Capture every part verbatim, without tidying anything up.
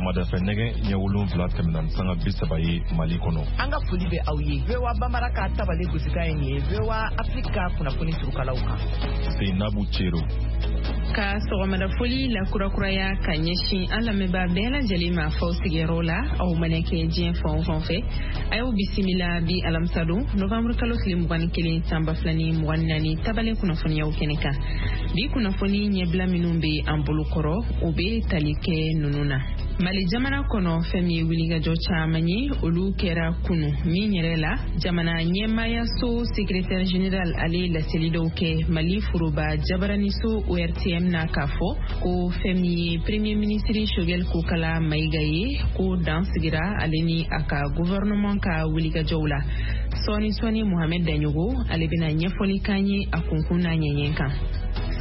Sɔgɔmada fɛ nɛgɛ ɲɛ wolonwula tɛmɛna ni sanga bi saba ye Mali kɔnɔ. An ka foli bɛ aw ye. V O A Bambara ka tabale gosikan ye nin ye V O A Afrique ka kunnafoni surukalaw kan. Seinabu Cero. Ka sɔgɔmada foli la kurakuraya ka ɲɛsin an lamɛnbaa bɛɛ lajɛlen ma f'aw sigiyɔrɔ la, aw mana kɛ diɲɛ fan o fan fɛ. A y'aw bisimila bi alamisadon novembre kalo tile mugan ni kelen san ba fila ni mugan ni naani tabale kunnafoniyaw kɛnɛ kan. Bi kunnafoni ɲɛbila minnu bɛ an bolo kɔrɔ, o bɛ tali kɛ ninnu na. Mali jamana kɔnɔ, fɛn min ye wulikajɔ caman ye, olu kɛra kunu min yɛrɛ la, jamana ɲɛmaayaso secrétaire général ale ye laseli dɔw kɛ Mali foroba jabaraniso O R T M na, k'a fɔ ko fɛn min ye premier ministre Choguel Kokala Maïga ye, ko dan sigira ale ni a ka gouvernement ka wulikajɔw la. Sɔɔni sɔɔni, Mohamed Daɲogo ale bɛna ɲɛfɔli k'an ye a kunkun n'a ɲɛɲɛ kan.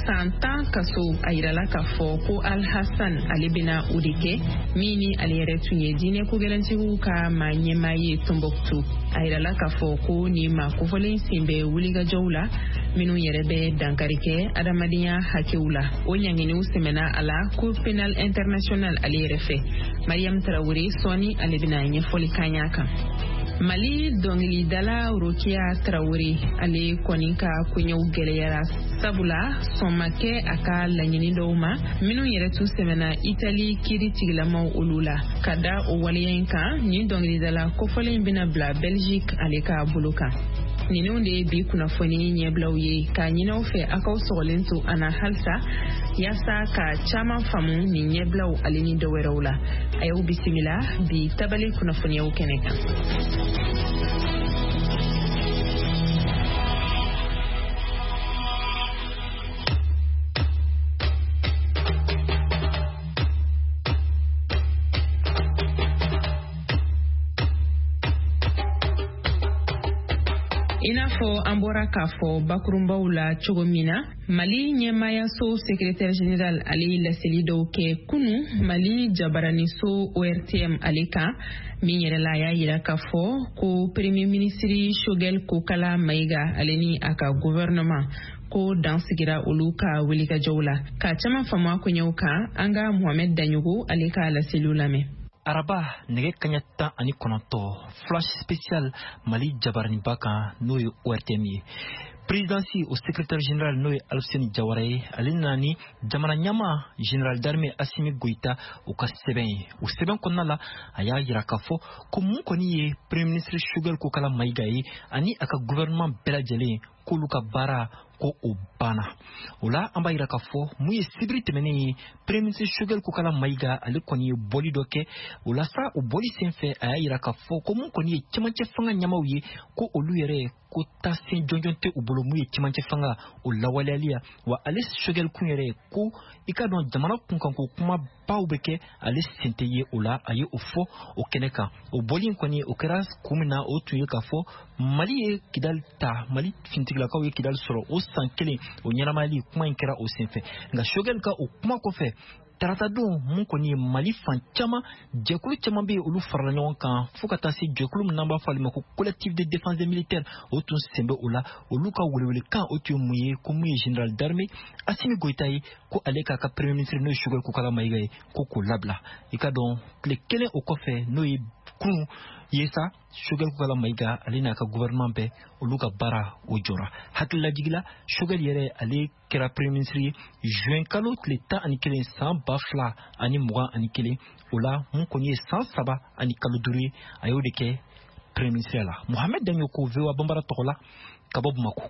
San tan kaso, a yirala k'a fɔ ko Al-Hassan ale bɛna o de kɛ, min ni ale yɛrɛ tun ye diinɛ kogɛlɛntigiw ka maa ɲɛmaa ye Tombouctou. A yirala k'a fɔ ko nin maa kofɔlen sen bɛ wulikajɔw la minnu yɛrɛ bɛ dankari kɛ adamadenya hakɛw la. O ɲanginiw sɛmɛna a la Cour pénale internationale ale yɛrɛ fɛ. Mariam Tarawele, sɔɔni ale bɛna ɲɛfɔli k'an y'a kan. Mali dɔnkilidala Rokia Traoré ale kɔni ka koɲɛw gɛlɛyara, sabula sɔn ma kɛ a ka laɲini dɔw ma minnu yɛrɛ tun sɛmɛna Itali kiiri tigilamaw olu la. Ka da o waleya in kan, nin dɔnkilidala kofɔlen bɛna bila Belgique ale ka bolo kan. Ninnu de ye bi kunnafoni ɲɛbilaw ye. K'a ɲini aw fɛ, aw k'aw sɔgɔlen to an na halisa yaasa ka caman faamu nin ɲɛbilaw ale ni dɔ wɛrɛw la. A y'aw bisimila bi tabale kunnafoniyaw kɛnɛ kan. I n'a fɔ an bɔra k'a fɔ bakurunbaw la cogo min na, Mali ɲɛmaayaso secrétaire général ale ye laseli dɔw kɛ kunu Mali jabaraniso O R T M ale kan, min yɛrɛ la, a y'a yira k'a fɔ ko premier ministre Choguel Kokala Maïga ale ni a ka gouvernement, ko dan sigira olu ka wulikajɔw la. Ka caman faamu a koɲɛw kan, an ka Mohamed Daɲogo ale ka laseliw lamɛn. Araba nɛgɛ kaɲa tan ani kɔnɔntɔ, flash spécial Mali jabaraniba kan, n'o ye O R T M ye. Présidence o secrétaire général, n'o ye Alfuseni Jawara ye, ale nana ni jamana ɲɛma général d'armée Asimi Goïta o ka sɛbɛn ye. O sɛbɛn kɔnɔna la, a y'a yira k'a fɔ ko mun kɔni ye premier ministre Choguel Kokala Maïga ye ani a ka gouvernement bɛɛ lajɛlen, k'olu ka baara ko o banna. O la, an b'a yira k'a fɔ mun ye sibiri tɛmɛnen ye, premier ministre Choguel Kokala Maïga ale kɔni ye bɔli dɔ kɛ. O la sa, o bɔli senfɛ, a y'a yira k'a fɔ ko mun kɔni ye cɛmancɛ fanga ɲɛmaw ye, ko olu yɛrɛ ko taasen jɔnjɔn tɛ u bolo mun ye cɛmancɛ fanga o lawaleyali ya. Wa ale Choguel kun yɛrɛ, ko i ka dɔn jamana kunkanko kumabaw bɛ kɛ, ale sen tɛ ye o la. A ye o fɔ o kɛnɛ kan. O bɔli in kɔni, o kɛra kun min na, o tun ye k'a fɔ Mali ye Kidali ta, Mali finitigilakaw ye Kidali sɔrɔ o san kelen, o ɲɛnamayali kuma in kɛra o senfɛ. Nka Choguel ka o kuma kɔfɛ, tarata don, mun kɔni ye Mali fan caman jɛkulu caman bɛ yen, olu farala ɲɔgɔn kan fo ka taa se jɛkulu min n'an b'a fɔ ale ma ko Collectif de défense des militaires, o tun sen bɛ o la. Olu ka welewelekan, o tun ye mun ye? Ko mun ye général d'armée Asimi Goïta ye, ko ale k'a ka premier ministre, n'o ye Choguel Kokala Maïga ye, ko k'o labila. I ka dɔn tile kelen o kɔfɛ, n'o ye kunun ye sa, Choguel Kokala Maïga ale n'a ka gouvernement bɛɛ, olu ka baara o jɔra. Hakililajigila, Choguel yɛrɛ ale kɛra premier ministre ye juin kalo tile tan ani kelen san ba fila ani mugan ani kelen. O la, mun kɔni ye san saba ani kalo duuru ye, a y'o de kɛ premier ministre la. Mohamed Daɲoko, V O A Bambara tɔgɔ la ka bɔ Bamako.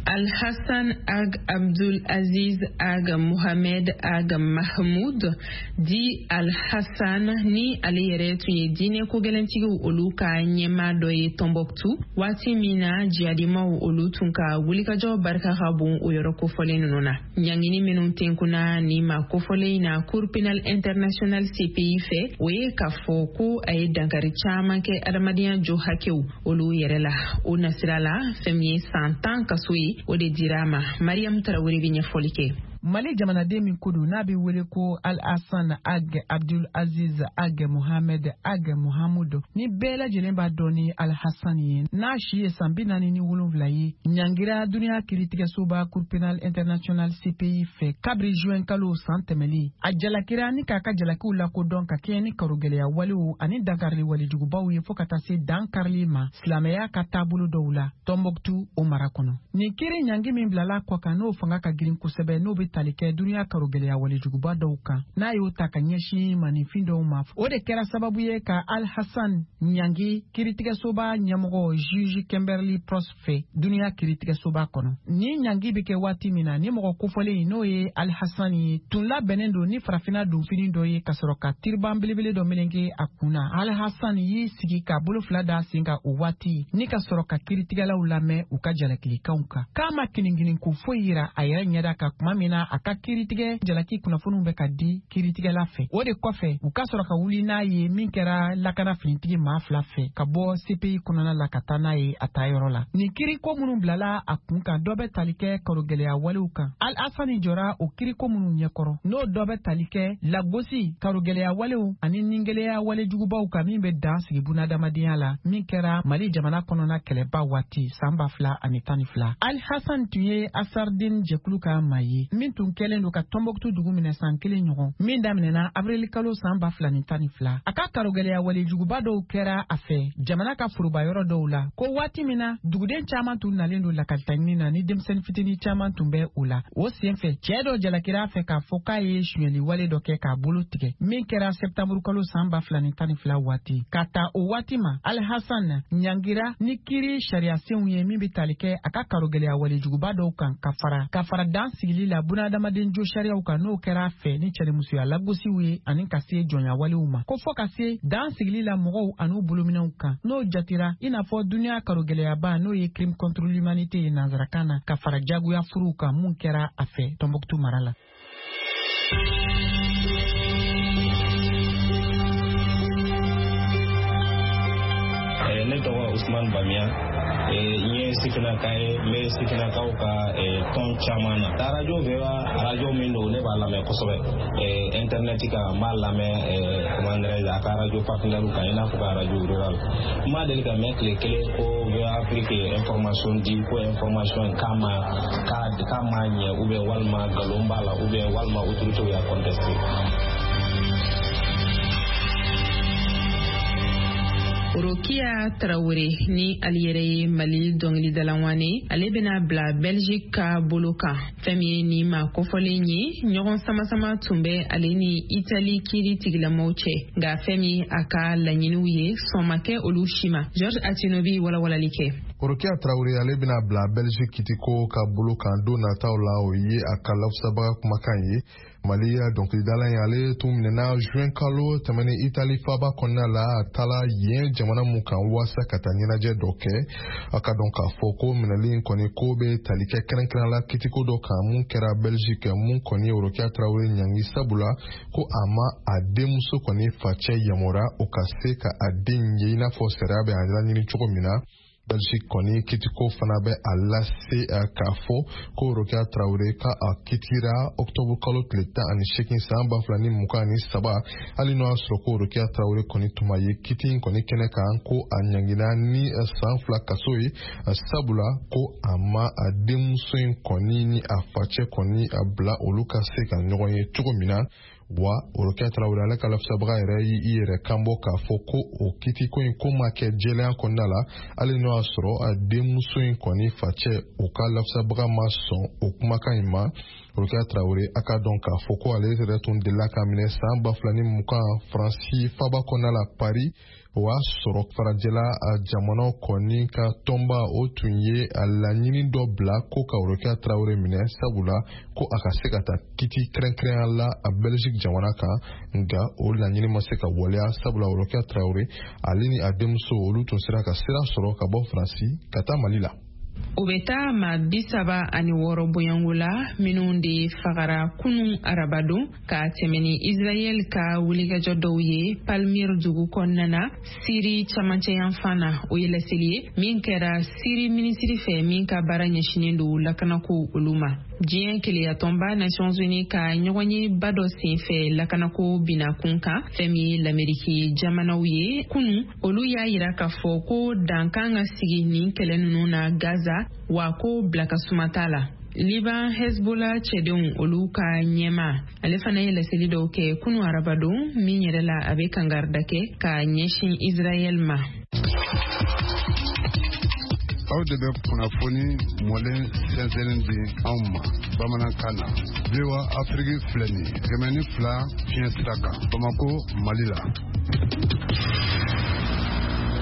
Al-Hassan Ag Abdul Aziz Ag Mohamed Ag Mahmoud dit Al-Hassan, ni ale yɛrɛ tun ye diinɛ kogɛlɛntigiw olu ka ɲɛmaa dɔ ye Tombouctou, waati min na jihadimaw olu tun ka wulikajɔ barika ka bon o yɔrɔ kofɔlen ninnu na. Ɲangini minnu tenkunna ni ma kofɔlen in na Cour pénale internationale C P I fɛ, o ye k'a fɔ ko a ye dankari caman kɛ adamadenya jo hakɛw olu yɛrɛ la. O nasira la, fɛn min ye san tan kaso ye, o de dira a ma. Mariam Tarawele bɛ ɲɛfɔli kɛ. Mali jamanaden min ko don n'a bɛ wele ko Al-Hassan Ag Abdul Aziz Ag Mohamed Ag Mohamudu, ni bɛɛ lajɛlen b'a dɔn ni Al-Hassan ye, n'a si ye san bi naani ni wolonwula ye, ɲangira duniya kiiritigɛsoba Cour pénale internationale C P I fɛ kabiri juin kalo san tɛmɛlen. A jalakira ni k'a ka jalakiw lakodɔn ka kɛɲɛ ni karogɛlɛya walew ani dankarili walejugubaw ye fo ka taa se dan karili ma silamɛya ka taabolo dɔw la Tɔnbɔkutu o mara kɔnɔ. Nin kiiri ɲangi min bilala kɔ kan n'o fanga ka girin kosɛbɛ, n'o bɛ tali kɛ duniya karogɛlɛya walejuguba dɔw kan, n'a y'o ta ka ɲɛsin maninfin dɔw ma, o de kɛra sababu ye ka Al-Hassan ɲangi kiiritigɛsoba ɲɛmɔgɔ juge Kimberly Prost fɛ duniya kiiritigɛsoba kɔnɔ. Ni ɲangi bɛ kɛ waati min na, ni mɔgɔ kofɔlen n'o ye Al-Hassan ye tun labɛnnen don ni farafinna donfini dɔ ye ka sɔrɔ ka tiriban belebele dɔ meleke a kun na. Al-Hassan y'i sigi k'a bolo fila da sen kan o waati ni ka sɔrɔ ka kiiritigɛlaw lamɛn u ka jalakilikanw kan. K'a ma kininkini ko foyi yira a yɛrɛ ɲɛda kan tuma min na a ka kiiritigɛ jalaki kunnafoniw bɛ ka di kiiritigɛla fɛ. O de kɔfɛ u ka sɔrɔ ka wuli n'a ye min kɛra lakana finitigi maa fila fɛ ka bɔ C P I kɔnɔna la ka taa n'a ye a taa yɔrɔ la. Nin kiiriko minnu bilala a kun kan, dɔ bɛ tali kɛ karogɛlɛya walew kan. Al-Hassan jɔra o kiiriko minnu ɲɛkɔrɔ, n'o dɔ bɛ tali kɛ lagosi, karogɛlɛya walew ani ningɛlɛya walejugubaw kan min bɛ dan sigi bunadamadenya la, min kɛra Mali jamana kɔnɔna kɛlɛba waati san ba fila ani tan ni fila. Al-Hassan tun ye Asardin jɛkulu ka maa ye min tun kɛlen don ka Tɔnbɔkutu dugu minɛ san kelen ɲɔgɔn, min daminɛna avril kalo san ba fila ni tan ni fila. A ka karogɛlɛya walejuguba dɔw kɛra a fɛ jamana ka foroba yɔrɔ dɔw la, ko waati min na duguden caman tun nalen don lakalitaɲini na ni denmisɛnnin fitinin caman tun bɛ o la. O senfɛ cɛɛ dɔ jalakira a fɛ k'a fɔ k'a ye sonyɛli wale dɔ kɛ k'a bolo tigɛ, min kɛra sɛptanburu kalo san ba fila ni tan ni fila waati. Ka ta o waati ma, Al-Hassan ɲangira ni kiiri sariyasenw ye min bɛ tali kɛ a ka karogɛlɛya walejuguba dɔw kan ka fara ka fara dan sigili la bunadamaden jo sariyaw kan, n'o kɛra a fɛ ni cɛnimusoya lagosiw ye ani ka se jɔnya walew ma, ko fɔ ka se dan sigili la mɔgɔw an'u bolominɛw kan, n'o jatira i n'a fɔ duniya karogɛlɛyaba n'o ye crime contre l'humanité ye nansarakan na, ka fara jagoya furuw kan mun kɛra a fɛ Tɔnbɔkutu mara la. Ne tɔgɔ Usman Bamiya, n ye sifinnaka ye, n bɛ sifinnakaw ka tɔn caman na. Arajo V O A, arajo min don, ne b'a lamɛn kosɛbɛ. Internet kan n b'a lamɛn, comment dirais-je, a ka arajo partenaire kan, i n'a fɔ ka arajo rural. N ma deli ka mɛn tile kelen ko V O A Afrique ye information di, ko information k'a ma k'a ma ɲɛ, ou bien walima nkalon b'a la, ou bien walima autorité y'a contesté. Rokia Traoré ni ale yɛrɛ ye Mali dɔnkilidala ale bɛna bila Belgique ka bolo kan. Fɛn min ye nin maa kofɔlen ye, ɲɔgɔn sama-sama tun bɛ ale ni Itali kiiri tigilamaw cɛ, nka fɛn min a ka laɲiniw ye sɔn ma kɛ olu si ma. George Atinobi walawalali kɛ. Rokia Traoré ale bɛna bila Belgique kitiko ka bolo kan don nataw la, o ye a ka lafasabaga kumakan ye. Mali dɔnkilidala in ale tun minɛna juin kalo tɛmɛnen Itali faba kɔnɔna la, a taala yen jamana mun kan waasa ka taa ɲɛnajɛ dɔ kɛ. A ka dɔn k'a fɔ ko minɛli in kɔni ko bɛ tali kɛ kɛrɛnkɛrɛn la kitiko dɔ kan mun kɛra Belgique, mun kɔni ye Rokia Traoré ɲangi, sabula ko a ma a denmuso kɔni facɛ yamaruya o ka se ka a den ye i n'a fɔ sariya bɛ a laɲini cogo min na. Belgique kɔni kitiko fana bɛ a lase k'a fɔ ko Rokia Traoré ka a kitira octobre kalo tile tan ani seegin san ba fila ni mugan ani saba, hali n'o y'a sɔrɔ ko Rokia Traoré kɔni tun ma ye kiti in kɔni kɛnɛ kan, ko a ɲangina ni san fila kaso ye, sabula ko a ma a denmuso in kɔni ni a facɛ kɔni a bila olu ka se ka ɲɔgɔn ye cogo min na. Wa Rokia Traoré ale ka lafasabaga yɛrɛ y'i yɛrɛ kan bɔ k'a fɔ ko o kitiko in ko ma kɛ jɛlenya kɔnɔna la, hali n'o y'a sɔrɔ a denmuso in kɔni facɛ o ka lafasabaga ma sɔn o kumakan in ma. Rokia Traoré a ka dɔn k'a fɔ ko ale yɛrɛ tun delila ka minɛ san ba fila ni mugan Faransi faba kɔnɔna la Paris, o y'a sɔrɔ farajɛla jamanaw kɔni ka tɔnba o tun ye a laɲini dɔ bila ko ka Rokia Traoré minɛ, sabula ko a ka se ka taa kiti kɛrɛnkɛrɛnya la a Belgique jamana kan, nka o laɲini ma se ka waleya, sabula Rokia Traoré ale ni a denmuso olu tun sera ka sira sɔrɔ ka bɔ Faransi ka taa Mali la. O bɛ taa maa bi saba ani wɔɔrɔ bonyanko la minnu de fagara kunun arabadon ka tɛmɛ ni Israɛl ka wulikajɔ dɔw ye Palmyre dugu kɔnɔna na Siri camancɛ yanfan na. O ye laseli ye min kɛra Siri minisiri fɛ min ka baara ɲɛsinnen don lakanako olu ma. Diɲɛ keleyatɔnba Nations Unies ka ɲɔgɔnyeba dɔ senfɛ lakanako bina kun kan, fɛn min ye Lameriki jamanaw ye kunu, olu y'a yira k'a fɔ ko dan kan ka sigi nin kɛlɛ ninnu na Gaza, wa ko bila ka suma t'a la. Liban Hezbollah cɛdenw olu ka ɲɛma, ale fana ye laseli dɔw kɛ kunu arabadon, min yɛrɛ la a bɛ kangarida kɛ ka ɲɛsin Israɛl ma. Aw de bɛ kunnafoni mɔlen sɛnsɛnnen di anw ma bamanankan na. V O A Afrique filɛ nin ye kɛmɛ ni fila fiɲɛ sira kan Bamako, Mali la.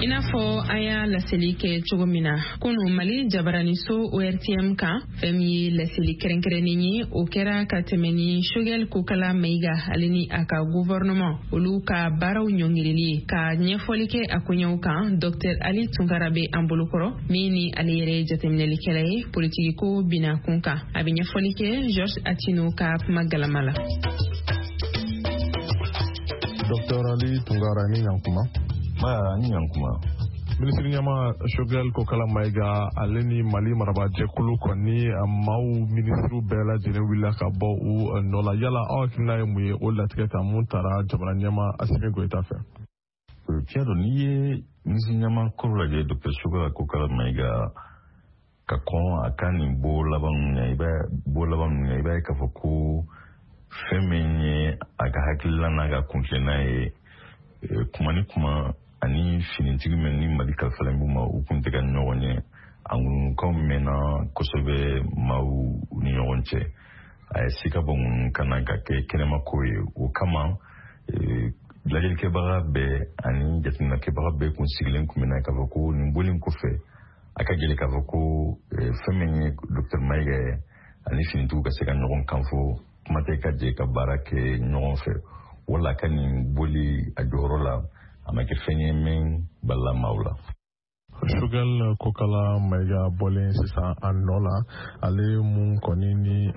I n'a fɔ an y'a laseli kɛ cogo min na kunu Mali jabaraniso O R T M kan, fɛn min ye laseli kɛrɛnkɛrɛnnen ye, o kɛra ka tɛmɛ ni Choguel Kokala Maïga ale ni a ka gouvernement olu ka baaraw ɲɔngirili ye. Ka ɲɛfɔli kɛ a koɲɛw kan, Docteur Ali Tunkara bɛ an bolokɔrɔ, min ni ale yɛrɛ ye jateminɛlikɛla ye politiki ko bina kun kan. A bɛ ɲɛfɔli kɛ Georges Atino ka kuma galama la. Docteur Ali Tunkara, ni ɲankuma. Ba ni ɲankuma. Minisiri ɲɛma Choguel Kokala Maïga ale ni Mali marabajɛkulu kɔni maaw minisiriw bɛɛ lajɛlen wulila ka bɔ u nɔ la. Yala aw hakilina ye mun ye o latigɛ kan mun taara jamana ɲɛma Assimi Goïta fɛ? Tiɲɛ don, n'i ye minisiri ɲɛma kɔrɔ lajɛ Docteur Choguel Kokala Maïga ka kɔn a ka nin bo laban ninnu ɲɛ, i b'a bo laban ninnu ɲɛ, i b'a ye k'a fɔ ko fɛn min ye a ka hakilila n'a ka kuntilenna ye, kuma ni kuma ani finitigi min ni Mali kalifalen b'u ma, u kun tɛ ka ɲɔgɔn ye. A ŋunukaw mɛnna kosɛbɛ maaw ni ɲɔgɔn cɛ. A ye se ka bɔ ŋunu ka na ka kɛ kɛnɛmako ye. O kama lajɛlikɛbaga bɛɛ ani jateminɛkɛbaga bɛɛ kun sigilen kun bɛ na k'a fɔ ko nin bɔlen kɔfɛ a ka gɛlɛn k'a fɔ ko fɛn min ye Docteur Maïga ye ani finitigiw ka se ka ɲɔgɔn kan fɔ, kuma tɛ ka jɛ ka baara kɛ ɲɔgɔn fɛ. Wala ka nin boli a jɔyɔrɔ la, a ma kɛ fɛn ye min balila maaw la. Choguel Kokala Maïga bɔlen sisan a nɔ la, ale mun kɔni ni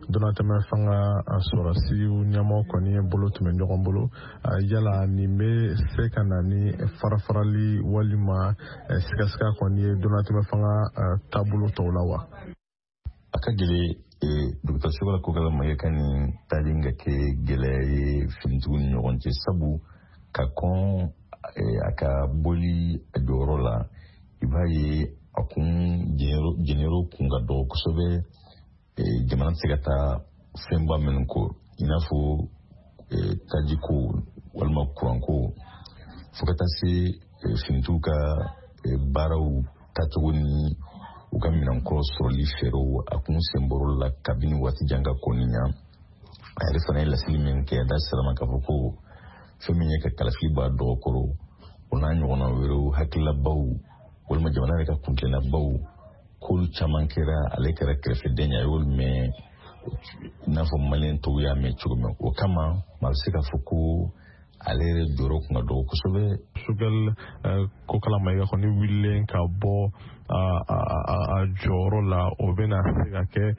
donatɛmɛ fanga sɔrɔsiw ɲɛmɔgɔ kɔni bolo tun bɛ ɲɔgɔn bolo, yala nin bɛ se ka na ni farafarali walima sigasiga kɔni ye donatɛmɛ fanga taabolo tɔw la wa? A ka gɛlɛn Docteur Choguel Kokala Maïga ka nin taali ka kɛ gɛlɛya ye finitigiw ni ɲɔgɔn cɛ, sabu ka kɔn a ka boli a jɔyɔrɔ la, i b'a ye a kun jɛnɛro kun ka dɔgɔ kosɛbɛ. Jamana tɛ se ka taa fɛnba minnu kɔ, i n'a fɔ tajiko walima kuranko, fo ka taa se finitigiw ka baaraw taacogo ni u ka minɛnkɔrɔ sɔrɔli fɛɛrɛw, a kun sen bɔr'o la kabini waati jan ka kɔni ɲa. A yɛrɛ fana ye laseli min kɛ, a da sira ma k'a fɔ ko fɛn min ye ka kalafili b'a dɔgɔkɔrɔ, o n'a ɲɔgɔnna wɛrɛw, hakililabaw walima jamana yɛrɛ ka kuntilennabaw, k'olu caman kɛra ale kɛra kɛrɛfɛden ye, a y'olu mɛn i n'a fɔ maliyɛn tɔw y'a mɛn cogo min. O kama maa bɛ se k'a fɔ ko ale yɛrɛ jɔyɔrɔ kun ka dɔgɔ kosɛbɛ. Choguel Kokala Maïga kɔni wulilen ka bɔ a jɔyɔrɔ la, o bɛna se ka kɛ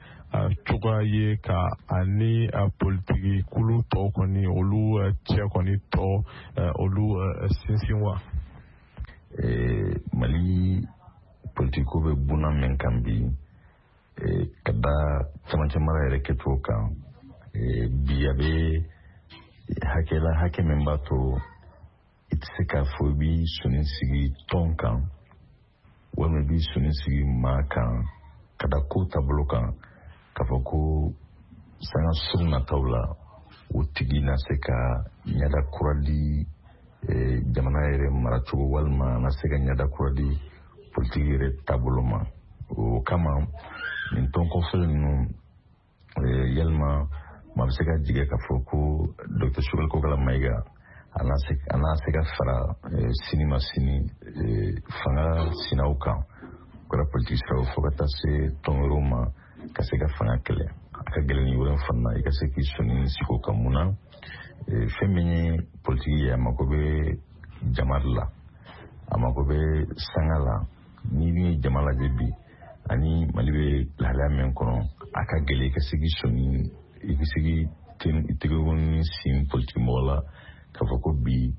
cogoya ye ka ani politiki kulu tɔw kɔni olu cɛ kɔni tɔ olu sinsin wa? Mali politiko bɛ buna min kan bi, ka da camancɛ mara yɛrɛ kɛcogo kan bi, a bɛ hakɛ la, hakɛ min b'a to i tɛ se k'a fɔ i b'i sɔnni sigi tɔn kan walima i b'i sɔnni sigi maa kan ka da ko taabolo kan, k'a fɔ ko sanga surun nataw la o tigi na se ka ɲɛda kura di jamana yɛrɛ maracogo walima na se ka ɲɛda kura di politiki yɛrɛ taabolo ma. O kama nin tɔn kɔfɛ ninnu, yalima maa bɛ se ka jigin k'a fɔ ko Docteur Choguel Kokala Maïga a n'a se ka fara sini ma sini fanga sinaw kan, o kɛra politiki siraw fo ka taa se tɔn wɛrɛw ma ka se ka fanga kɛlɛ. A ka gɛlɛn ni yɔrɔ fana na i ka se k'i sɔnni sigi o kan. Mun na fɛn min ye politiki ye, a mako bɛ jama de la, a mako bɛ sanga la. N'i dun ye jama lajɛ bi ani Mali bɛ lahalaya min kɔnɔ, a ka gɛlɛn i ka se k'i sɔnni, i ka se k'i tɛgɛkɔni sin politiki mɔgɔ la k'a fɔ ko bi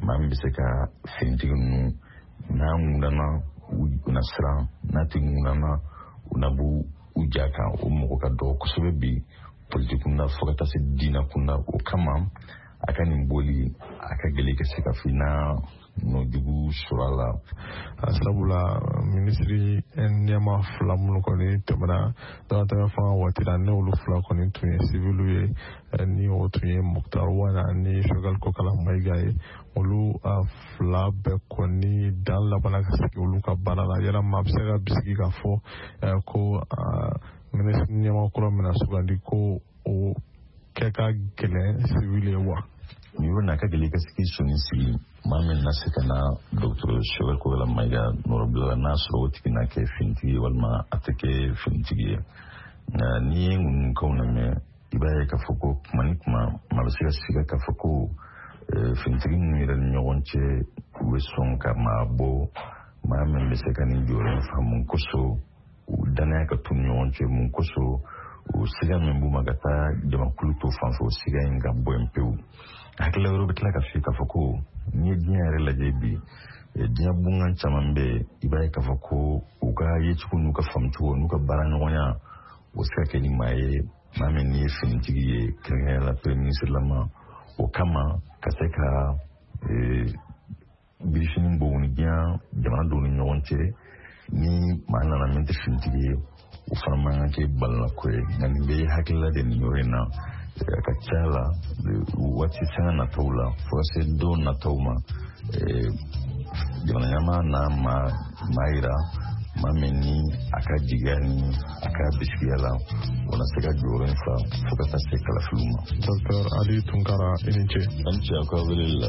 maa min bɛ se ka finitigi ninnu n'a ŋunana u na siran, n'a tɛ ŋunana u na b'u u ja kan, o mɔgɔ ka dɔgɔ kosɛbɛ bi politiki kunda fo ka taa se diinɛ kunda. O kama a ka nin boli a ka gɛlɛn ka se ka fɔ i na nɔ jugu sɔrɔ a la. Sabula minisiri ɲɛmaa fila minnu kɔni tɛmɛna damatɛmɛ fanga waati la, ne olu fila kɔni tun ye siviliw ye, ni o tun ye Moctar Ouane ani Choguel Kokalla Maïga ye. Olu fila bɛɛ kɔni dan labanna ka sigi olu ka baara la. Yala maa bɛ se ka bisigi k'a fɔ ko minisiri ɲɛmaa kura mina sugandi ko o kɛ ka gɛlɛn sivili ye wa? Nin yɔrɔ in na, a ka gɛlɛn i ka se k'i sɔnni sigi maa min na se ka na docteur Choguel Kokalla Maïga nɔrɔbila la, n'a sɔrɔ o tigi na kɛ finitigi ye walima a tɛ kɛ finitigi ye. Nka n'i ye ŋunukaw lamɛn, i b'a ye k'a fɔ ko kuma ni kuma maa bɛ se ka siga k'a fɔ ko finitigi ninnu yɛrɛ ni ɲɔgɔn cɛ, u bɛ sɔn ka maa bɔ maa min bɛ se ka nin jɔyɔrɔ in fa. Mun kosɔn u danaya ka t'u ni ɲɔgɔn cɛ? Mun kosɔn o siga min b'u ma ka taa jamakulu to fan fɛ, o siga in ka bɔ yen pewu? Hakilila wɛrɛ bɛ tila ka f'i k'a fɔ ko n'i ye diɲɛ yɛrɛ lajɛ bi, diɲɛ bunkan caman bɛ yen, i b'a ye k'a fɔ ko u ka yecogo n'u ka faamucogo n'u ka baaraɲɔgɔnya, o se ka kɛ ni maa ye, maa min n'i ye finitigi ye, kɛrɛnkɛrɛnnenya la premier ministre lama. O kama ka se ka birifini bɔ u ni diɲɛ jamana dɔw ni ɲɔgɔn cɛ, ni maa nana min tɛ finitigi ye, o fana man kan kɛ balonako ye. Nka nin bɛɛ ye hakilila de nin yɔrɔ in na. A ka ca la waati sanga nataw la, fo ka se don nataw ma, jamana ɲɛmaa n'a maa maa yira maa min ni a ka jigiya ni a ka bisigiya la, o na se ka jɔyɔrɔ in fa fo ka taa se kalafiliw ma. Docteur Ali Tunkara, i ni ce. A ni ce aw ka weleli la.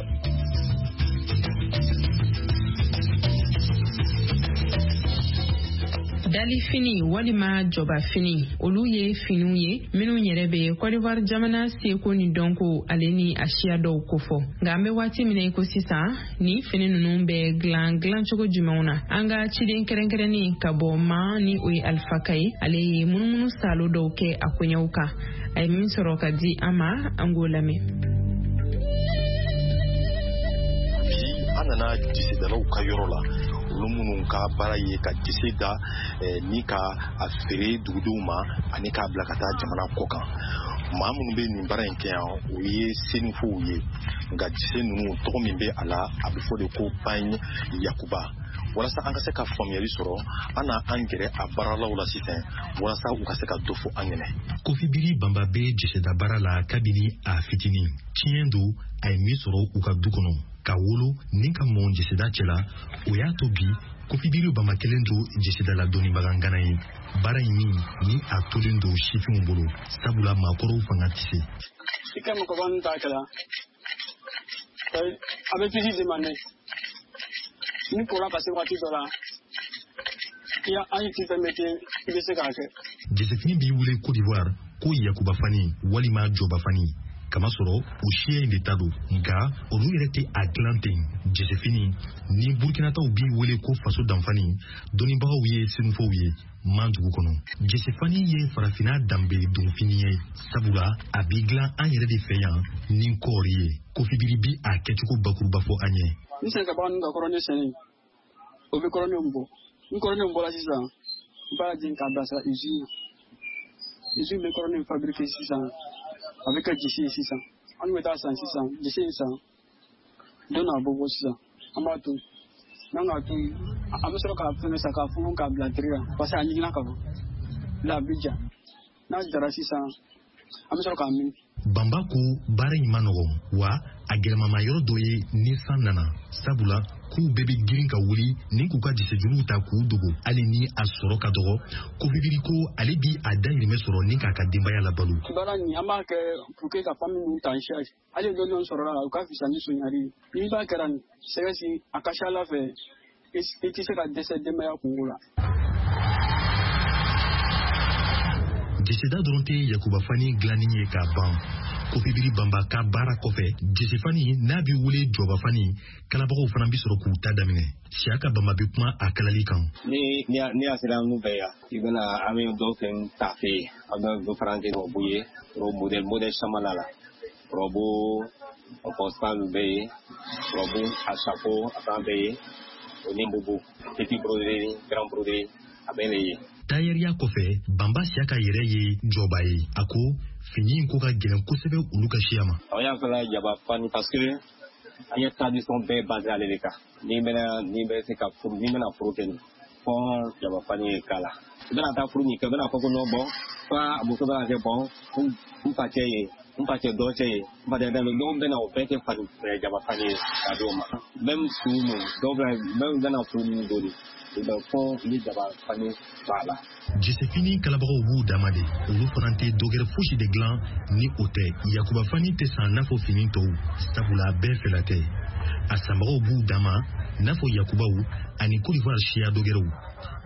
Dalifini walima jɔbafini, olu ye finiw ye minnu yɛrɛ bɛ Côte d'Ivoire jamana seko ni dɔnko ale ni a siya dɔw kofɔ. Nka an bɛ waati min na i ko sisan, ni fini ninnu bɛ dilan dilancogo jumɛnw na? An ka ciden kɛrɛnkɛrɛnnen ka bɔ ma ni o ye Alpha Ka ye, ale ye munumunu salo dɔw kɛ a koɲɛw kan. A ye min sɔrɔ ka di an ma, an k'o lamɛn. Bi an nana jisidalaw ka yɔrɔ la, olu minnu ka baara ye ka jise da ni ka a feere dugudenw ma ani k'a bila ka taa jamana kɔ kan. Maa minnu bɛ nin baara in kɛ yan, o ye senufow ye. Nka jise ninnu tɔgɔ min bɛ a la, a bɛ fɔ de ko Pagne Yakuba. Walasa an ka se ka faamuyali sɔrɔ, an na an gɛrɛ a baaralaw la sisan walasa u ka se ka dɔ fɔ an ɲɛnɛ. Kofi Biri Banba bɛ jiseda baara la kabini a fitinin. Tiɲɛ don, a ye min sɔrɔ u ka du kɔnɔ, ka wolo ni ka mɔn jiseda cɛ la, o y'a to bi Kofi Biri Banba kelen don jisedala dɔnnibaga ŋana ye. Baara in min ni a tolen don sifinw bolo, sabula maakɔrɔw fanga tɛ se. I ka mɔgɔba ninnu t'a kɛla, a bɛ pisi demande ni kola ka se waati dɔ la, i an ti fɛn bɛ kɛ, i bɛ se k'a kɛ. Jisefini b'i wele Côte d'Ivoire ko Yakuba fani walima Jɔba fani, kamasɔrɔ o siya in de ta don. Nka olu yɛrɛ tɛ a dilan ten. Jisefini ni Burkinataw b'i wele ko faso danfani, dɔnnibagaw ye senufow ye man dugu kɔnɔ. Jisefani ye farafinna danbe donfini ye, sabula a b'i dilan an yɛrɛ de fɛ yan ni kɔɔri ye. Kofi Biri bi a kɛcogo bakuruba fɔ an ye. Ni sɛnɛkɛbaga ninnu ka kɔrɔnin sɛnɛ, o bɛ kɔrɔnin bɔ. Ni kɔrɔnin bɔra sisan, u b'a jigin k'a bilasira usine. Usine bɛ kɔrɔnin fabriquer sisan, a bɛ kɛ jise ye sisan. An bɛ taa san sisan, jise in san, don n'a bɔ bɔ sisan, an b'a to. N'an k'a to, an bɛ sɔrɔ k'a fɛngɛ sa k'a funfun k'a bila tiri la, parce que a ɲiginna ka ban. La a bɛ ja. N'a jara sisan, an bɛ sɔrɔ k'a min. Banba ko baara in ma nɔgɔn, wa a gɛlɛmama yɔrɔ dɔ ye ni san nana, sabula k'u bɛɛ bɛ girin ka wuli ni k'u ka jisejuruw ta k'u dogo. Hali ni a sɔrɔ ka dɔgɔ, Kofi Biri ko ale bi a dahirimɛ sɔrɔ ni k'a ka denbaya labalo. Baara nin an b'a kɛ pour que ka famille ninnu ta en charge. Hali dɔɔni dɔɔni sɔrɔla la, o ka fisa ni sonyali ye. N'i b'a kɛra nin sɛgɛsi, a ka ca Ala fɛ, i tɛ se ka dɛsɛ denbaya kungo la. Jiseda dɔrɔn tɛ Yakuba fani dilanni ye k'a ban. Kofi Biri Banba ka baara kɔfɛ, jisefani n'a bɛ wele Jɔba fani, kalabagaw fana bɛ sɔrɔ k'u ta daminɛ. Siyaka Banba bɛ kuma a kalali kan. Ni ni a sera an fɛ yan, i bɛna an bɛ dɔw fɛn tafe, an bɛ dɔ fara an kɛ rɔbu ye, robe modèle modèle caman la la. Rɔbu constant bɛ yen, rɔbu a chapeau a fana bɛ yen, o ni bobo, petit broderie, grand broderie, a bɛɛ de ye. Tayɛriya kɔfɛ, Banba Siyaka yɛrɛ ye jɔba ye. A ko fini in ko ka gɛlɛn kosɛbɛ olu ka siya ma. An y'a fɛla jaba fani parce que an ye tradition bɛɛ basé ale de kan. N'i bɛna n'i bɛ se ka furu, n'i bɛna furu kɛ nin fɔ jaba fani ye k'a la. I bɛna taa furu min kɛ, i bɛna fɔ ko non bon, fa muso bɛna kɛ bon, n facɛ ye, n facɛ dɔgɔcɛ ye, n facɛ dɔ dɔw bɛna o bɛɛ kɛ fani jaba fani ye k'a d'o ma. Même su mun, dɔw bɛna même bɛna furu min don u bɛ fɔ ni jaba fani b'a la. Jesefini kalabagaw b'u dama de, olu fana tɛ dɔgɛrɛ fosi de dilan ni o tɛ. Yakuba fani tɛ san n'a fɔ fini tɔw, sabula bɛɛ fɛla tɛ. A sanbagaw b'u dama n'a fɔ yakubaw ani Côte d'Ivoire siya dɔgɛrɛw.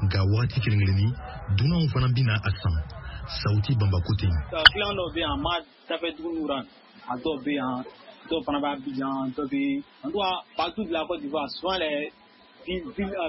Nka wagati kelen kelenni dunanw fana bɛna a san. Sawuti Banba ko ten. Client dɔw bɛ yan, ma dafɛ dugu ra, a dɔw bɛ yan, dɔw fana bɛ Abidjan, dɔw bɛ en tout cas partout de la Côte d'Ivoire, souvent les villes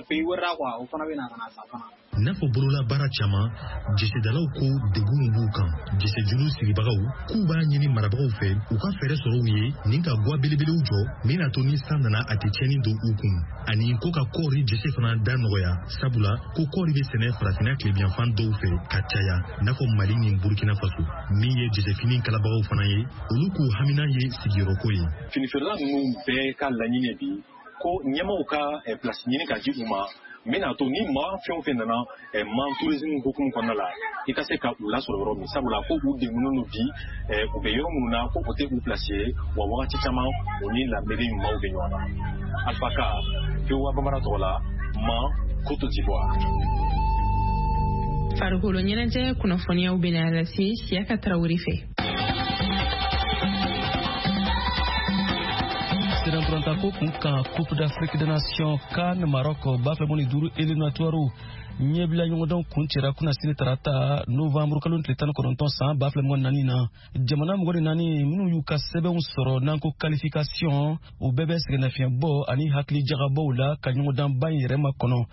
pays wɛrɛ la quoi, o fana bɛ na ka na san fana. N'a fɔ bolola baara caman, jesedalaw ko degunw b'u kan. Jesejulu sigibagaw k'u b'a ɲini marabagaw fɛ u ka fɛɛrɛ sɔrɔ u ye ni ka gwa belebelew jɔ min n'a to ni san nana a tɛ tiɲɛni don u kun, ani ko ka kɔɔri jese fana da nɔgɔya, sabula ko kɔɔri bɛ sɛnɛ farafinna tilebiyanfan dɔw fɛ ka caya, n'a fɔ Mali ni Burkina Faso. Min ye jesefini kalabagaw fana ye, olu k'u hamina ye sigiyɔrɔko ye. Finifeerela ninnu bɛɛ ka laɲini bi ko ɲɛmaaw ka place ɲini ka di u ma, min n'a to ni maa fɛn o fɛn nana man tourisme hukumu kɔnɔna la, i ka se ka u lasɔrɔ yɔrɔ min, sabula ko u degunnen don bi, u bɛ yɔrɔ minnu na ko o tɛ u place ye, wa wagati caman u ni lamɛnni maaw bɛ ɲɔgɔn na. Alpha Ka, V O A Bambara tɔgɔ la, Man, Côte d'Ivoire. Farikolo ɲɛnajɛ kunnafoniyaw bɛna lase Siyaka Tarawele fɛ. Ko kun kan Coupe d'Afrique des Nations CAN Maroc ba fila ni duuru éliminatoire ɲɛbila ɲɔgɔndɔn kun cɛra kunnasini tarata novembre kalo tile tan ni kɔnɔntɔn san ba fila mugan naani na. Jamana mugan ni naani minnu y'u ka sɛbɛnw sɔrɔ n'an ko qualification, u bɛɛ bɛ sɛgɛnnafiɲɛbɔ ani hakili jagabɔw la ka ɲɔgɔndanba in yɛrɛ makɔnɔ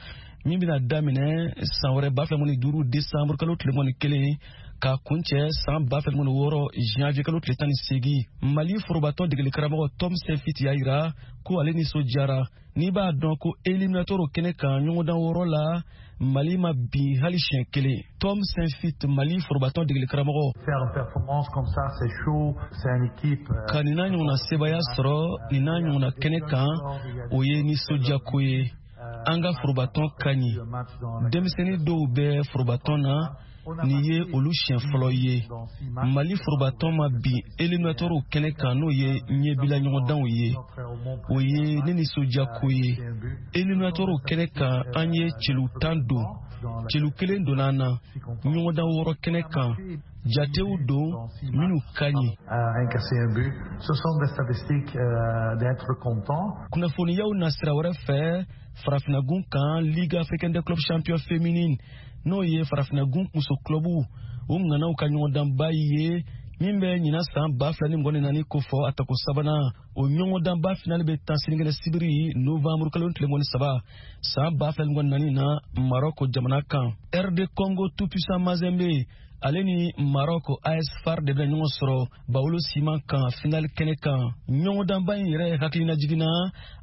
min bɛna daminɛ san wɛrɛ ba fila mugan ni duuru décembre kalo tile mugan ni kelen ka kuncɛ san ba fila mugan ni wɔɔrɔ janvier kalo tile tan ni seegin. Mali forobatɔn degeli karamɔgɔ Tom Saintfiet y'a yira ko ale nisɔndiyara. N'i b'a dɔn ko éliminatoire kɛnɛ kan ɲɔgɔndan wɔɔrɔ la, Mali ma bin hali siɲɛ kelen. Tom Saintfiet, Mali forobatɔn degeli karamɔgɔ. Ka nin n'a ɲɔgɔnna sebaaya sɔrɔ nin n'a ɲɔgɔnna kɛnɛ kan, o ye nisɔndiyako ye. An ka forobatɔn ka ɲi. Denmisɛnnin dɔw bɛ forobatɔn na, nin ye olu siɲɛ fɔlɔ ye. Mali forobatɔn ma bin éliminatoire kɛnɛ kan, n'o ye ɲɛbila ɲɔgɔndanw ye. O ye ne nisɔndiyako ye. Éliminatoire kɛnɛ kan, an ye celu tan don. Celu kelen donna an na ɲɔgɔndan wɔɔrɔ kɛnɛ kan. Jatew don minnu ka ɲi. Kunnafoniyaw na sira wɛrɛ fɛ, farafinnagun kan Ligue africaine des clubs champions féminine, n'o ye farafinnagun muso clubu o ŋanaw ka ɲɔgɔndanba ye min bɛ ɲinan san ba fila ni mugan ni naani kofɔ a tako sabanan. O ɲɔgɔndanba finale bɛ tan sinikɛnɛ sibiri novembre kalo tile mugan ni saba san ba fila ni mugan ni naani na Maroc jamana kan. R D Congo tout puissant Mazembe ale ni Maroc A S FAR de bɛna ɲɔgɔn sɔrɔ Bawolo siman kan finale kɛnɛ kan. Ɲɔgɔndanba in yɛrɛ hakilina jiginna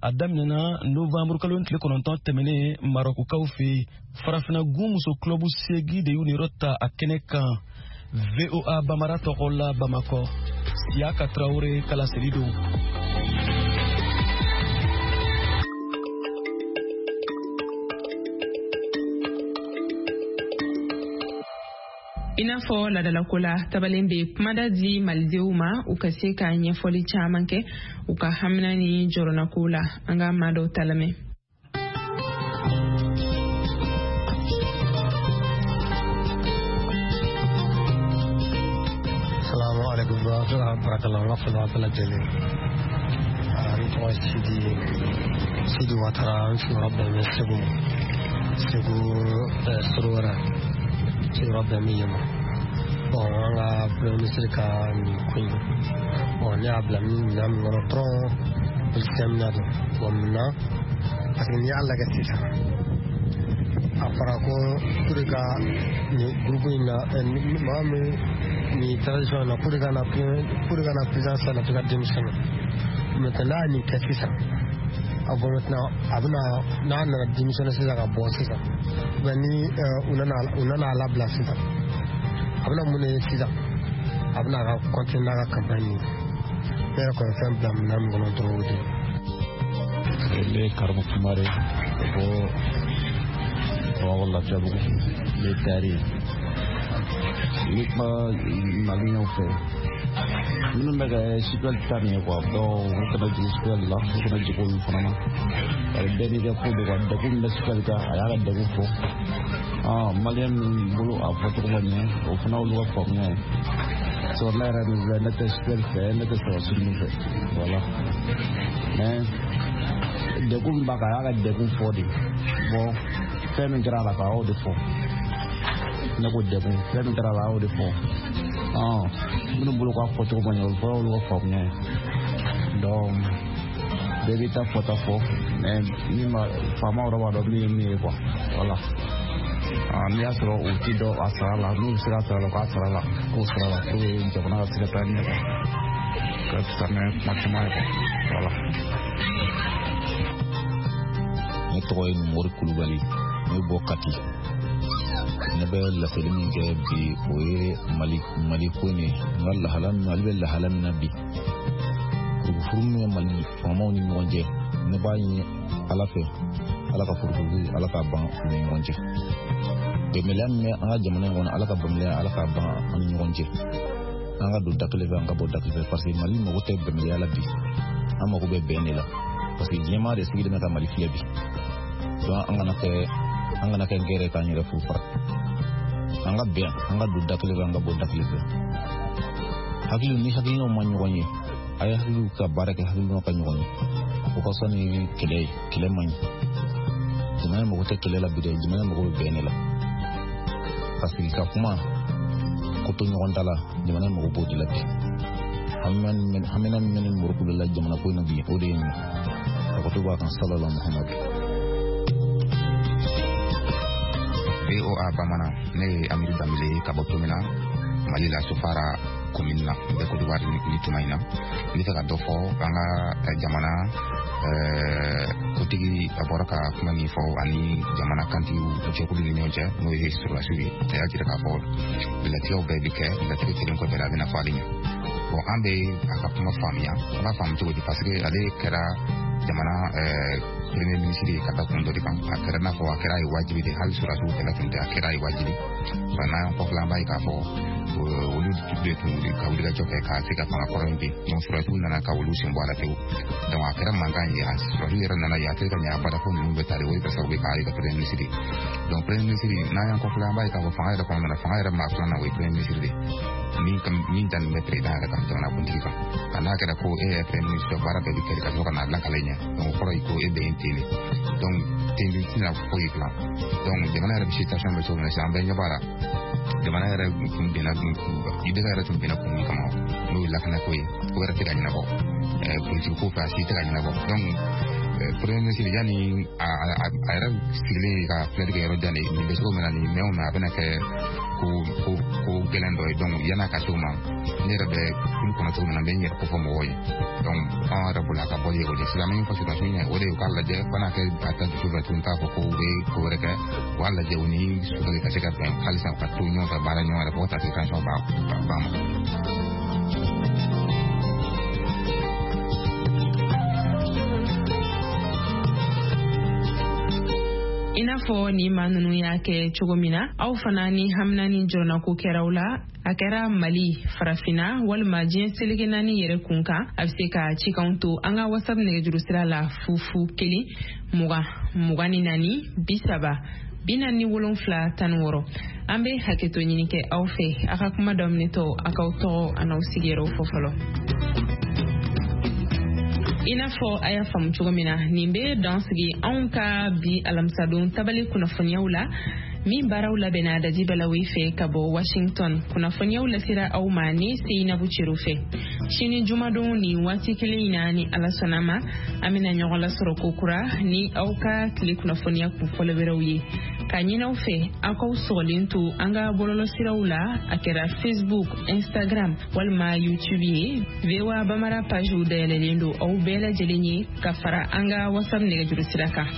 a daminɛna novembre kalo tile kɔnɔntɔn tɛmɛnen Marokukaw fɛ yen. Farafinna gun muso club seegin de y'u niyɔrɔ ta a kɛnɛ kan. V O A Bambara tɔgɔ la Bamakɔ, Siyaka Tarawele kalaseli don. I n'a fɔ ladalako la, tabalen bɛ kumada di malidenw ma u ka se ka ɲɛfɔli caman kɛ u ka hamina ni jɔrɔnako la. An ka maa dɔw ta lamɛn. Salamu alaikum warahmatullahi wabarakatuh. N ka foli b'a bɛɛ lajɛlen. N tɔgɔ Sidi Sidi Watara, n sigiyɔrɔ bɛn bɛ Segu Segu Sorowɛrɛ. Sigiyɔrɔ bɛn bɛ yen ma. Bon, an ka premier ministre ka nin ko in, bon, ne y'a bila min minɛn min kɔnɔ dɔrɔn, politicien minɛ don. Bon, munna? Parce que n'i y'a lajɛ sisan, a fɔra ko pour que nin groupe in na, maa min nin transition na, pour que na pour que na présidence la, f'i ka démissionner. Maintenant n'a ye nin kɛ sisan, Bon, maintenant, a bɛna n'a nana démissionner sisan ka bɔ sisan, ou bien ni u nana u nana a labila sisan, a bɛna mun de ye sisan? A bɛna a ka continuer n'a ka campagne ye. Ne yɛrɛ kɔni fɛn bila minɛn min kɔnɔ dɔrɔn, o de ye. Ne ye Karimu Kumare ka bɔ Bamakɔ Lafiyabugu. Ne ye tayɛri ye. N bɛ kuma maliyɛnw fɛ minnu bɛ ka C P L ta nin ye quoi. Donc u kana jigin C P L la, u kana jigin olu fana na. Bari bɛɛ n'i ka ko don quoi. Degun min bɛ C P L kan, a y'a ka degun fɔ. Maliyɛn min bolo a fɔcogo ma ɲɛ, o fana olu ka faamuya ye. Sɔrɔ ne yɛrɛ min filɛ, ne tɛ C P L fɛ, ne tɛ sɔrɔsi ninnu fɛ, voilà. Mais degun min b'a kan, a y'a ka degun fɔ de. Bon, fɛn min kɛra a la, a y'o de fɔ. Ne ko degun, fɛn min kɛra a la, a y'o de fɔ. Minnu bolo k'a fɔcogo ma ɲɛ, o fɔra olu ka faamuya ye. Donc bɛɛ b'i ta fɔta fɔ, mais min ma faama yɛrɛ b'a dɔn min ye min ye quoi, voilà. N'i y'a sɔrɔ u ti dɔn a sara la, n'u bɛ se ka sara la, k'a sara la, k'o sara la pour que jamana ka se ka taa ɲɛ quoi, ka fisa ni kuma caman ye quoi, voilà. Ne tɔgɔ ye Mori Kulubali, ne bɔ Kati. Ne bɛ laseli min kɛ bi, o ye Mali Mali ko in ye. N ka lahala min, Mali bɛ lahala min na bi, furufuru min bɛ Mali faamaw ni ɲɔgɔn cɛ, ne b'a ɲini Ala fɛ, Ala ka furufuru, Ala k'a ban u ni ɲɔgɔn cɛ. Bɛnbaliya min bɛ an ka jamana in kɔnɔ, Ala ka bɛnbaliya, Ala k'a ban an ni ɲɔgɔn cɛ. An ka don da kelen fɛ, an ka bɔ da kelen fɛ, parce que Mali mago tɛ bɛnbaliya la bi, an mago bɛ bɛn de la, parce que diɲɛmaa de sigilen bɛ ka Mali filɛ bi. Donc an kana kɛ an kana kɛ gɛrɛ k'an yɛrɛ furu fara. An ka bɛn, an ka don da kelen fɛ, an ka bɔ da kelen fɛ. Hakili ni hakilinaw ma ɲɔgɔn ye, a ye hakiliw ka baara kɛ, hakilinaw ka ɲɔgɔn ye, o ka fisa ni kɛlɛ ye. Kɛlɛ man ɲi, jamana mago tɛ kɛlɛ la bi dɛ, jamana mago bɛ bɛn de la, ka sigi ka kuma ko to ɲɔgɔn da la. Jamana mago b'o de la bi. Hamina min bɛ ni Mori la jamana ko in na bi, o de ye nin ye. A ko to b'a kan salala Muhamadu. V O A Bamanan, ne ye Amidu Danbele ye ka bɔ Tomina, Mali la, Sofara commune na, n bɛ Côte d'Ivoire ni tuma in na. N bɛ fɛ ka dɔ fɔ an ka jamana kotigi, a bɔra ka kuma min fɔ ani jamana kantigiw jɛkulu ni ɲɔgɔn cɛ, n'o ye sɔrɔdasiw ye. A y'a jira k'a fɔ latigɛw bɛɛ bi kɛ, latigɛ kelen kɔfɛ, a bɛna fɔ ale ɲɛ. Bon, an bɛ a ka kuma faamuya, an b'a faamu cogo di? Parce que ale kɛra jamana premier ministre ye ka da kun dɔ de kan. A kɛra n'a fɔ a kɛra ye wajibi de, hali sɔrɔdasiw kɛlɛ tun tɛ, a kɛra ye wajibi. Wa n'an y'an kɔfilɛ, an b'a ye k'a fɔ olu de tun ka wulikajɔ kɛ ka se ka fanga kɔrɔ in bin. Donc sɔrɔdasiw nana ka olu sen bɔ a la pewu. Donc a kɛra mankan ye, sɔrɔdasiw yɛrɛ nana ye a tɛ ka ɲɛ abada ko ninnu bɛ taa de, o ye kɛ sababu ye k'a ye ka premier ministre. Donc premier ministre, n'an y'an kɔfilɛ, an b'a ye k'a fɔ fanga yɛrɛ kɔnɔna na, fanga yɛrɛ maa filanan, o ye premier ministre de min min dannen bɛ président yɛrɛ kan, jamana kuntigi kan. Ka n'a kɛra ko e yɛrɛ premier ministre, baara bɛɛ bɛ kɛ ka sɔrɔ ka n'a lakale ɲɛ. Donc o kɔrɔ ye ko e bɛ yen ten de. Donc ten de tɛna foyi dilan. Donc jamana yɛrɛ bɛ situation bɛ cogo min na sisan, an bɛɛ ɲɛ b'a la. Jamana yɛrɛ tun binna, I B K yɛrɛ tun binna kun min kama, n'o ye lakanako ye, o yɛrɛ tɛ ka ɲɛnabɔ. Politique ko fɛ, a si tɛ ka ɲɛnabɔ. Donc premier ministre, yanni a a yɛrɛ sigilen ka filɛli kɛ yɔrɔ jan de, nin bɛ cogo min na, nin mɛn o mɛn, a bɛna kɛ ko ko ko gɛlɛn dɔ ye. Donc yan'a ka se o ma, ne yɛrɛ bɛ kulu kɔnɔ cogo min na, n bɛ n yɛrɛ kofɔ mɔgɔw ye. Donc anw yɛrɛ bolo, a ka bɔli ye o de. Sisan min fɔ sɔrɔdasiw ɲɛ, o de ye u k'a lajɛ, fo n'a kɛ a ta dusu fɛ tuguni k'a fɔ ko u bɛ ko wɛrɛ kɛ, u k'a lajɛ u ni sɔrɔli ka se ka bɛn halisa, u ka to ɲɔgɔn fɛ, baara ɲɔgɔn yɛrɛ, fo ka taa se transition ba ba ma. I n'a fɔ ni maa ninnu y'a kɛ cogo min na, aw fana ni hamina ni jɔrɔnako kɛraw la, a kɛra Mali, Farafina walima diɲɛ seleke naani yɛrɛ kun kan, a bɛ se ka cikanw to an ka WhatsApp nɛgɛjuru sira la: fu fu kelen mugan mugan ni naani bi saba bi naani ni wolonfila tan ni wɔɔrɔ. An bɛ hakɛto ɲini kɛ aw fɛ, a ka kuma daminɛtɔ, a k'aw tɔgɔ a n'aw sigiyɔrɔw fɔ fɔlɔ. I n'a fɔ a y'a faamu cogo min na, nin bɛ dan sigi anw ka bi alamisadon tabali kunnafoniyaw la. Min baaraw labɛnna Dadi Balawe fɛ ka bɔ Washington. Kunnafoniyaw lasera aw ma ne Seyinabu Cero fɛ. Sini jumadon ni waati kelen in na, ni Ala sɔnna ma, an bɛna ɲɔgɔn lasɔrɔ kokura ni aw ka tile kunnafoniya kunfɔlɔ wɛrɛw ye. K'a ɲini aw fɛ, aw k'aw sɔgɔlen to an ka bɔlɔlɔsiraw la, a kɛra Facebook, Instagram walima YouTube ye. V O A Bamara pagew dayɛlɛlen don aw bɛɛ lajɛlen ye, ka fara an ka WhatsApp nɛgɛjuru sira kan.